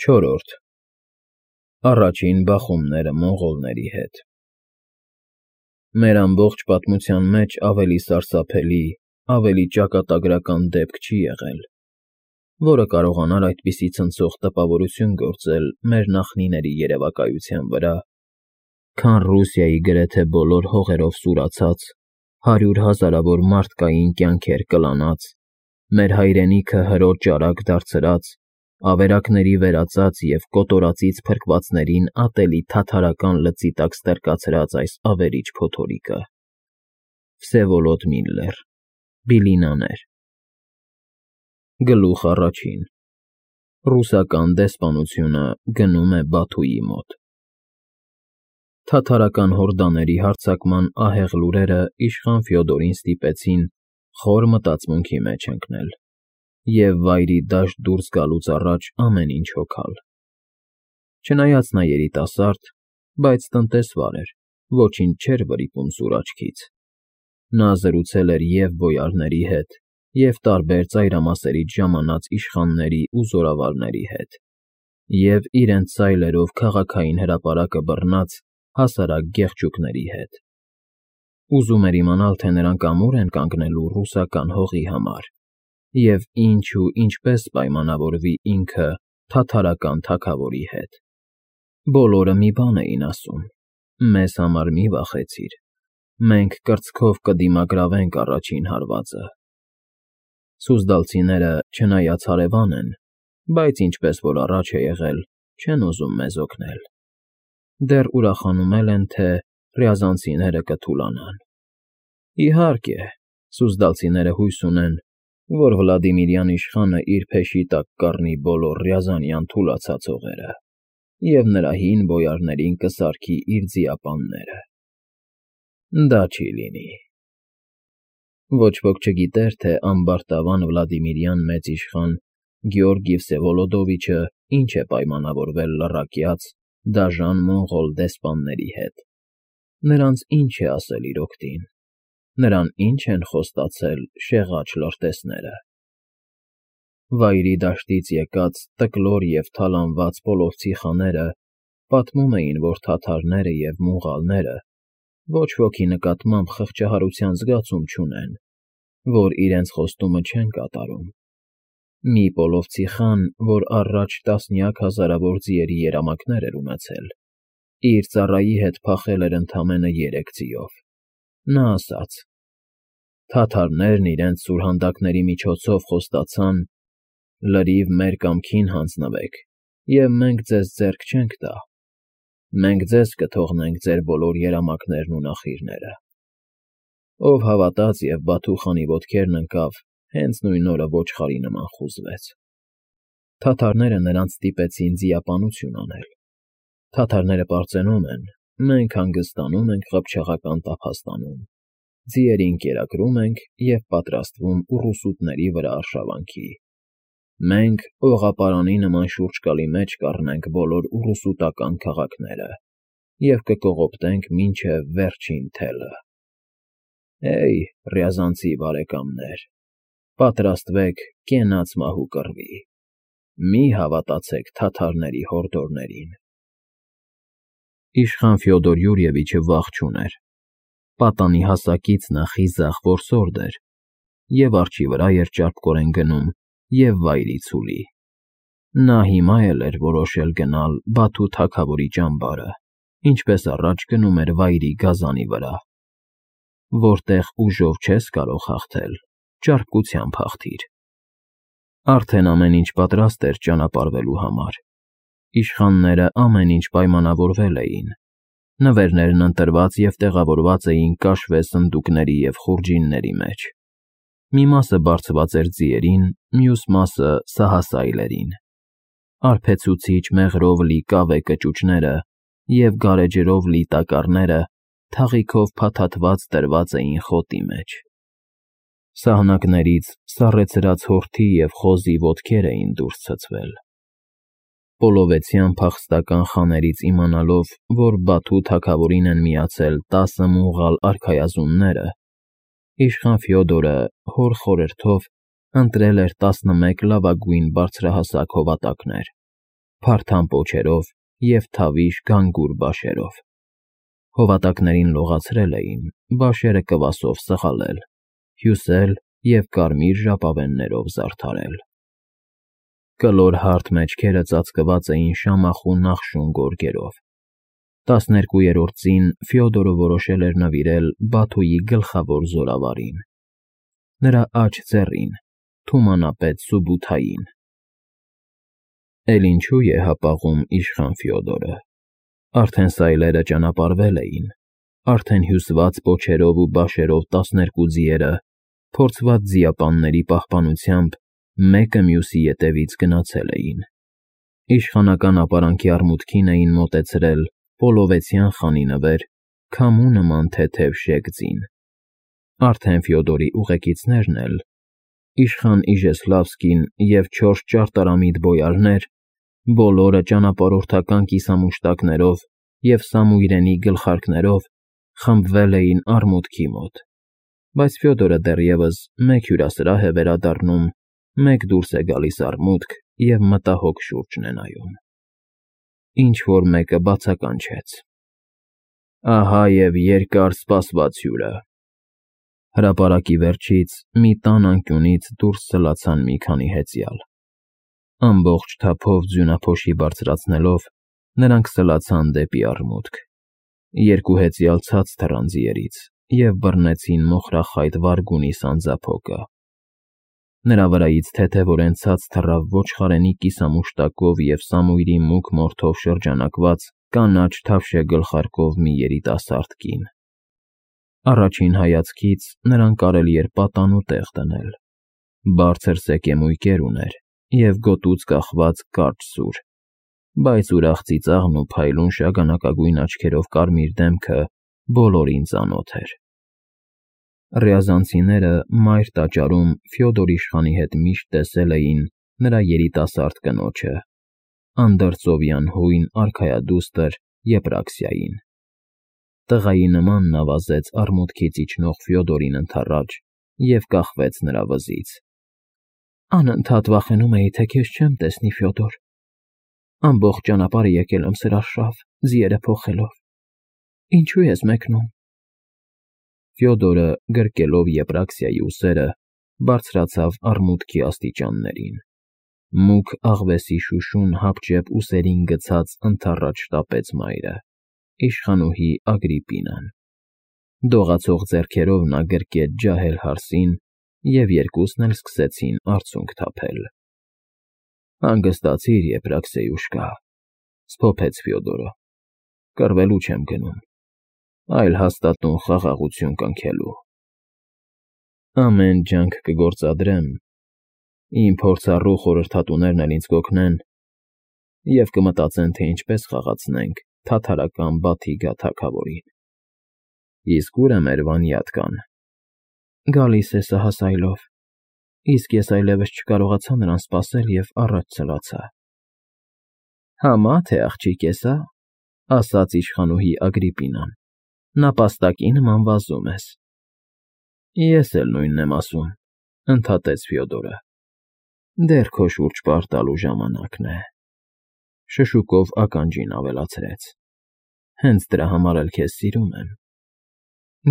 Չորրորդ Առաջին բախումները մոնղոլների հետ։ Մեր ամբողջ պատմության մեջ ավելի սարսափելի, ավելի ճակատագրական դեպք չի եղել, որը կարողանար այդպիսի ցնցող տպավորություն գործել մեր նախնիների երևակայության վրա, քան Ռուսիայի գրեթե բոլոր հողերով սուրացած, 100 հազարավոր մարդկային կյանքեր կլանած, մեր հայրենիքը հրո ճարակ դարձրած, ավերակների վերածած և կոտորածից փրկվածներին ատելի թաթարական լծի տակ ստրկացրած այս ավերիչ փոթորիկը։ Վսևոլոդ Միլլեր, Բիլինաներ։ Գլուխ առաջին. Ռուսական դեսպանությունը գնում է Բաթուի մոտ։ Թաթարական հորդաների հարձակման ահեղ լուրերը իշխան Ֆյոդորին ստիպեցին խոր մտածմունքի մեջ ընկնել և վայրի դաշտ դուրս գալուց առաջ ամեն ինչ հոգալ։ Չնայած նա երիտասարդ, բայց տնտեսվար էր, ոչինչ չէր վրիպում սուր աչքից։ Նա զրուցել էր և բոյարների հետ, և տարբեր ծայրամասերից ժամանած իշխանների ու զորավարների հետ, և իրենց սայլերով քաղաքային հրապարակը բռնած հասարակ գեղջուկների հետ։ Ուզում էր իմանալ, թե նրանք ամո՞ւր են կանգնելու ռուսական հողի համար, և ինչ ու ինչպես պայմանավորվի ինքը թաթարական թագավորի հետ։ Բոլորը մի բան էին ասում. «Մեզ համար մի վախեցիր, մենք կրծքով կդիմագրավենք առաջին հարվածը»։ Սուզդալցիները, չնայած հարևան են, բայց ինչպես որ առաջ է եղել, չեն ուզում մեզ օգնել։ Դեռ ուրախանում են, թե ռյազանցիները կթուլանան։ Իհարկե, սուզդալցիները հույս ունեն, որ Վլադիմիրյան իշխանը իր փեշի տակ կառնի բոլոր ռյազանյան թուլացած հողերը և նրա հին բոյարներին կսարքի իր ձիապանները։ Դա չի լինի։ Ոչ ոք չգիտեր, թե ամբարտավան Վլադիմիրյան մեծ իշխան Գեորգի Վսևոլոդովիչը ինչ է պայմանավորվել լռակյաց, դաժան մոնղոլ դեսպանների հետ։ Նրանց ինչ է ասել իր օգտին։ Նրան ինչ են խոստացել շեղաջ լրտեսները։ Վայրի դաշտից եկած տկլոր և թալանված պոլովցի խաները պատմում էին, որ թաթարները և մուղալները ոչ ոքի նկատմամբ խղճահարության զգացում չունեն, որ իրենց խոստումը չեն կատարում։ Մի պոլովցի խան, որ առաջ տասնյակ հազարավոր ձիերի երամակներ էր ունեցել, իր ծառայի հետ փախել էր ընդամենը 3 ձիով։ Նա ասաց. «Թաթարներն իրենց սուրհանդակների միջոցով խոստացան. լրիվ մեր կամքին հանձնվեք, և մենք ձեզ ձեռք չենք տա։ Մենք ձեզ կթողնենք ձեր բոլոր երամակներն ու նախիրները»։ Ով հավատաց և Բաթու խանի ոտքերն ընկավ, հենց նույն օրը ոչխարի նման խուզվեց։ Թաթարները նրանց ստիպեցին ձիապանություն անել։ Թաթարները պարծենում են, մենք հանգստանում ենք Ղփչաղական տափաստանում, ձիերին կերակրում ենք և պատրաստվում ուռուսուտների վրա արշավանքի։ Մենք օղապարանի նման շուրջկալի մեջ կառնենք բոլոր ուռուսուտական քաղաքները և կկողոպտենք մինչև վերջին թելը։ Հեյ, ռյազանցի բարեկամներ, պատրաստվեք կենաց մահու կռվի։ Մի հավատացեք թաթարների հորդորներին։ Իշխան Ֆյոդոր Յուրիևիչը վախ չուներ։ Պատանի հասակից նա խիզախ որսորդ էր, և արջի վրա էր ճարպկորեն գնում և վայրի ցուլի։ Նա հիմա էլ էր որոշել գնալ Բաթու թագավորի ճամբարը, ինչպես առաջ գնում էր վայրի գազանի վրա։ Որտեղ ուժով չես կարող հաղթել, ճարպկությամբ հաղթիր։ Արդեն ամեն ինչ պատրաստ էր ճանապարհվելու համար։ Իշխանները ամեն ինչ պայմանավորվել էին։ Նվերներն ընտրված և տեղավորված էին կաշվե սնդուկների և խուրջինների մեջ։ Մի մասը բարձված էր ձիերին, մյուս մասը՝ սահասայլերին։ Արփեցուցիչ մեղրով լի կավե կճուճները և գարեջրով լի տակառները թաղիքով փաթաթված դրված էին խոտի մեջ։ Սահնակներից սառեցրած հորթի և խոզի ոտքեր էին դուրս ցցվել։ Պոլովեցյան փախստական խաներից իմանալով, որ Բաթու թագավորին են միացել 10 մուղալ արքայազունները, իշխան Ֆյոդորը հոր խորհրդով ընտրել էր 11 լավագույն բարձրահասակ հովատակներ, փարթամ պոչերով և թավիշ գանգուր բաշերով։ Հովատակներին լողացրել էին, բաշերը կվասով սխալել, հյուսել և կարմիր ժապավեններով զարդարել։ Կլոր հարթ մեջքերը ծածկված էին շամախու նախշուն գորգերով։ 12-րդ Ֆյոդորը որոշել էր նվիրել Բաթուի գլխավոր զորավարին, նրա աջ ձեռին, թումանապետ Սուբութային։ Էլ ինչու է հապաղում իշխան Ֆյոդորը։ Արդեն սայլերը ճանապարհվել էին, արդեն հյուսված պոչերով ու բաշերով 12 ձիերը, փորձված ձիապանների պահպանությամբ, մեկը մյուսի ետևից գնացել էին։ Իշխանական ապարանքի արմուտքին էին մոտեցրել Պոլովեցյան խանի նվեր, քամու նման թեթև շեգձին։ Արդեն Ֆյոդորի ուղեկիցներն էլ, իշխան Իժեսլավսկին և 4 ճարտարամիտ բոյարներ, բոլորը ճանապարհորդական կիսամուշտակներով և Սամուիրենի գլխարկներով, խմբվել էին արմուտքի մոտ, բայց Ֆյոդորը դեռևս մեկ հյուրասրահ է վերադառնում, մեկ դուրս է գալիս արմուտք և մտահոգ շուրջն է նայում։ Ինչ֊որ մեկը բացականչեց. «Ահա և երկար սպասված հյուրը»։ Հրապարակի վերջից մի տան անկյունից դուրս սլացան մի քանի հեծյալ։ Ամբողջ թափով ձյունափոշի բարձրացնելով, նրանք սլացան դեպի արմուտք։ 2 հեծյալ ցած թռան ձիերից և բռնեցին մոխրախայտ վարգունի սանձափոկը։ Նրա վրայից թեթևորեն ցած թռավ ոչխարենի կիսամուշտակով և Սամուիրի մուգ մորթով շրջանակված կանաչ թավշե գլխարկով մի երիտասարդ կին։ Առաջին հայացքից նրան կարելի էր պատանու տեղ դնել։ Բարձր սեկեմույկեր ուներ և գոտուց կախված կարճ սուր, բայց ուրախ ծիծաղն ու փայլուն շագանակագույն աչքերով կարմիր դեմքը բոլորին ծանոթ էր։ Ռյազանցիները մայր տաճարում Ֆյոդոր իշխանի հետ միշտ տեսել էին նրա երիտասարդ կնոջը, անդրծովյան հույն արքայադուստր Եպրաքսիային։ Տղայի նման նա վազեց արմուտքից իջնող Ֆյոդորին ընդառաջ և կախվեց նրա վզից։ Անընդհատ վախենում էի, թե քեզ չեմ տեսնի, Ֆյոդոր։ Ամբողջ ճանապարհը եկել եմ սրաշավ, ձիերը փոխելով։ Ինչու ես մեկնում։ Ֆյոդորը, գրկելով Եպրաքսիայի ուսերը, բարձրացավ արմուտքի աստիճաններին։ Մուգ աղվեսի շուշուն հապճեպ ուսերին գցած ընդառաջ շտապեց մայրը, իշխանուհի Ագրիպինան։ Դողացող ձեռքերով նա գրկեց ջահել հարսին, և երկուսն էլ սկսեցին արցունք թափել։ Հանգստացիր, Եպրաքսեյուշկա, սփոփեց Ֆյոդորը։ Կռվելու չեմ գնում, այլ հաստատուն խաղաղություն կնքելու։ Ամեն ջանք կգործադրեմ, իմ փորձառու խորհրդատուներն էլ ինձ կօգնեն, և կմտածեն, թե ինչպես խաղացնենք թաթարական Բաթիգա թագավորին։ Իսկ ո՞ւր է մեր Վանյատկան։ Գալիս է սահասայլով, իսկ ես այլևս չկարողացա նրան սպասել և առաջ ցլացա։ Համա թե աղջիկ ես, ասաց իշխանուհի Ագրիպինան, նապաստակի նման վազում ես։ Ես էլ նույնն եմ ասում, ընդհատեց Ֆյոդորը։ Դեռ քո շուրջ պարտալու ժամանակն է։ Շշուկով ականջին ավելացրեց. Հենց դրա համար էլ քեզ սիրում եմ։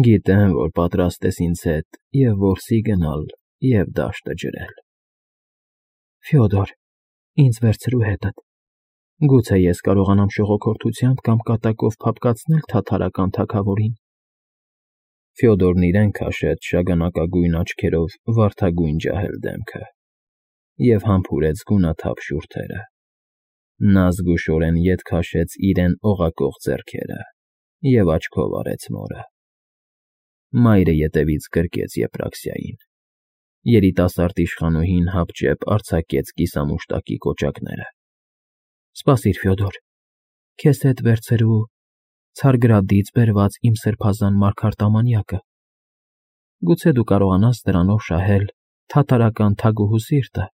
Գիտեմ, որ պատրաստ ես ինձ հետ և որսի գնալ, և դաշտը ջրել։ Ֆյոդոր, ինձ վերցրու հետդ։ Գուցե ես կարողանամ շողոքորթությամբ կամ կատակով փափկացնել թաթարական թագավորին։ Ֆյոդորն իրեն քաշեց շագանակագույն աչքերով վարդագույն ջահել դեմքը և համբուրեց գունաթափ շուրթերը։ Նա զգուշորեն ետ քաշեց իրեն օղակող ձեռքերը և աչքով արեց մորը։ Մայրը ետևից գրկեց Եպրաքսիային։ Երիտասարդ իշխանուհին հապճեպ արձակեց կիսամուշտակի կոճակները։ Սպասիր, Ֆյոդոր, քեզ հետ վերցրու Ցարգրադից բերված իմ սրբազան մարգարտամանյակը։ Գուցե դու կարողանաս դրանով շահել թաթարական թագուհու սիրտը,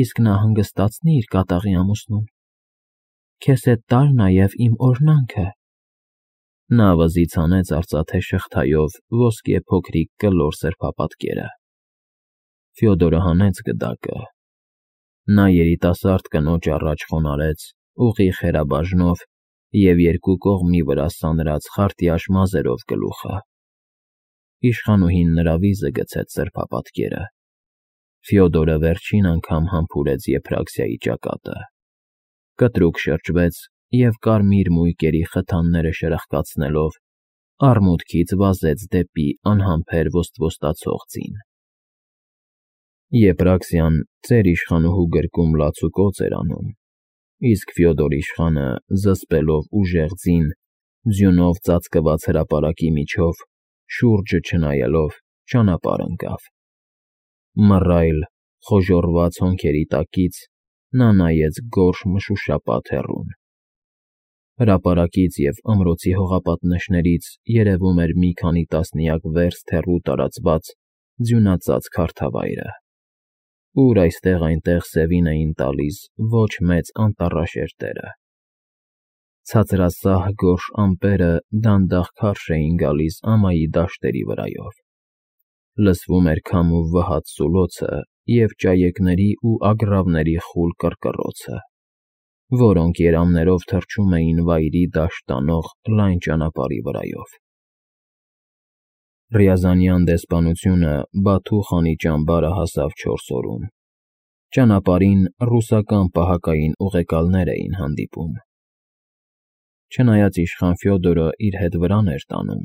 իսկ նա հանգստացնի իր կատաղի ամուսնուն։ Քեզ հետ տար նաև իմ օրհնանքը։ Նա վզից հանեց արծաթե շղթայով ոսկե փոքրիկ կլոր սրբապատկերը։ Ֆյոդորը հանեց գդակը։ Նա երիտասարդ կնոջ առաջ խոնարհեց ուղիղ խերաբաժնով և երկու կողմի վրա սանրած խարտյաշ մազերով գլուխը։ Իշխանուհին նրա վիզը գցեց սրբապատկերը։ Ֆյոդորը վերջին անգամ համբուրեց Եփրաքսիայի ճակատը, կտրուկ շրջվեց և կարմիր մույկերի խթանները շրխկացնելով արմուտքից վազեց դեպի անհամբեր ոստվոստացող ձին։ Եփրաքսիան ծեր իշխանուհու գրկում լացուկոծ էր անում, իսկ Ֆյոդոր իշխանը, զսպելով ուժեղ ձին, ձյունով ծածկված հրապարակի միջով, շուրջը չնայելով, ճանապարհ ընկավ։ Մռայլ, խոժոռված հոնքերի տակից նա նայեց գորշ մշուշապատ հեռուն։ Հրապարակից և ամրոցի հողապատնեշներից երևում էր մի քանի տասնյակ վերստ հեռու տարածված ձյունածածկ հարթավայրը, ուր այստեղ֊այնտեղ սևին էին տալիս ոչ մեծ անտառաշերտերը։ Ցածրասահ գորշ ամպերը դանդաղ քարշ էին գալիս ամայի դաշտերի վրայով։ Լսվում էր քամու վհատ սուլոցը և ճայեկների ու ագռավների խուլ կռկռոցը, որոնք երամներով թռչում էին վայրի դաշտ տանող լայն ճանապարհի վրայով։ Ռիազանյան դեսպանությունը Բաթու խանի ճամբարը հասավ 4 օրում։ Ճանապարհին ռուսական պահակային ուղեկալներ էին հանդիպում։ Չնայած իշխան Ֆյոդորը իր հետ վրան էր տանում,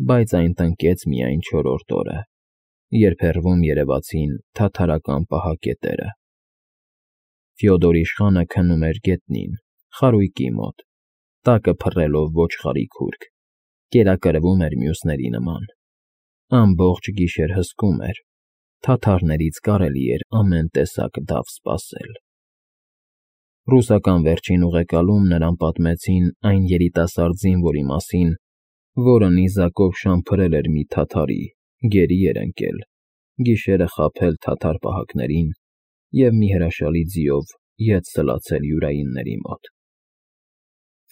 բայց այն տնկեց միայն 4-րդ օրը, երբ հեռվում երևացին թաթարական պահակետերը։ Ֆյոդոր իշխանը քնում էր գետնին, խարույկի մոտ, տակը փռելով ոչխարի քուրք, կերակրվում էր մյուսների նման։ Ամբողջ գիշեր հսկում էր, թաթարներից կարելի էր ամեն տեսակ դավ սպասել։ Ռուսական վերջին ուղեկալում նրան պատմեցին այն երիտասարդ զինվորի մասին, որը նիզակով շամփրել էր մի թաթարի, գերի էր ընկել, գիշերը խաբել թաթար պահակներին և մի հրաշալի ձիով ետ սլացել յուրայինների մոտ։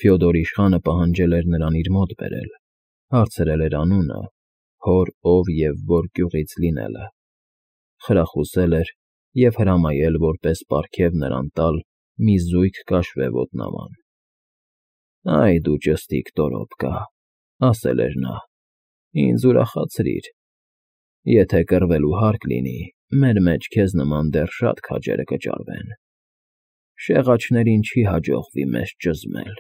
Ֆյոդոր իշխանը պահանջել էր նրան իր մոտ բերել, հարցրել էր անունը, հոր ով և որ գյուղից լինելը, խրախուսել էր և հրամայել որպես պարգև նրան տալ մի զույգ կաշվե ոտնաման։ «Այ դու ճստիկ տորոպկա», ասել էր նա, «ինձ ուրախացրիր։ Եթե կռվելու հարկ լինի, մեր մեջ քեզ նման դեռ շատ քաջերը կճարվեն։ Շեղաչներին չի հաջողվի մեզ ճզմել»։